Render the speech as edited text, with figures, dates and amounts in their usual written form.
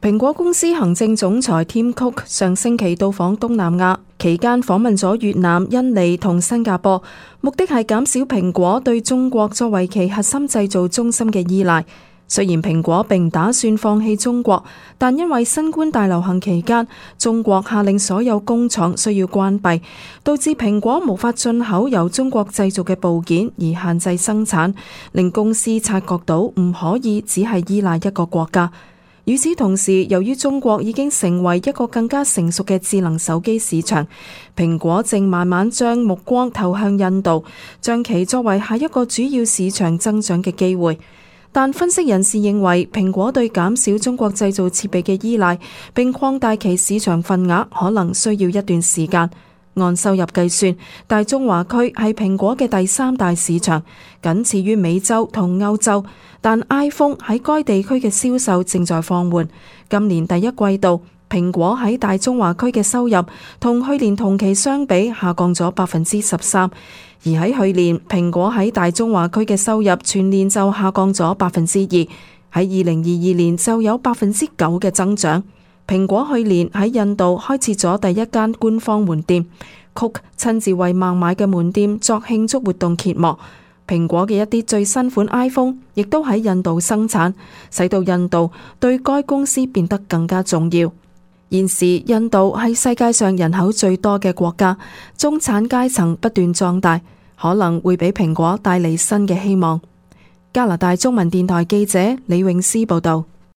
蘋果公司行政總裁 Tim Cook 上星期到訪東南亞，期間訪問咗越南、印尼同新加坡，目的係減少蘋果對中國作為其核心製造中心嘅依賴。雖然蘋果並唔打算放棄中國，但因為新冠大流行期間，中國下令所有工廠需要關閉，導致蘋果無法進口由中國製造嘅部件而限制生產，令公司察覺到唔可以只係依賴一個國家。與此同時，由於中國已經成為一個更加成熟嘅智能手機市場，蘋果正慢慢將目光投向印度，將其作為下一個主要市場增長嘅機會。但分析人士認為，蘋果對減少中國製造設備嘅依賴並擴大其市場份額可能需要一段時間。按收入計算，大中華區係蘋果嘅第三大市場，僅次於美洲同歐洲。但 iPhone 喺該地區嘅銷售正在放緩。今年第一季度，蘋果喺大中華區嘅收入同去年同期相比下降咗13%，而喺去年，蘋果喺大中華區嘅收入全年就下降咗2%，喺2022年就有9%嘅增長。蘋果去年喺印度開設咗第一間官方門店，Cook親自為孟買嘅門店作慶祝活動揭幕。蘋果嘅一啲最新款 iPhone 亦都喺印度生產，使到印度對該公司變得更加重要。現時印度係世界上人口最多嘅國家，中產階層不斷壯大，可能會俾蘋果帶嚟新嘅希望。加拿大中文電台記者李詠詩報道。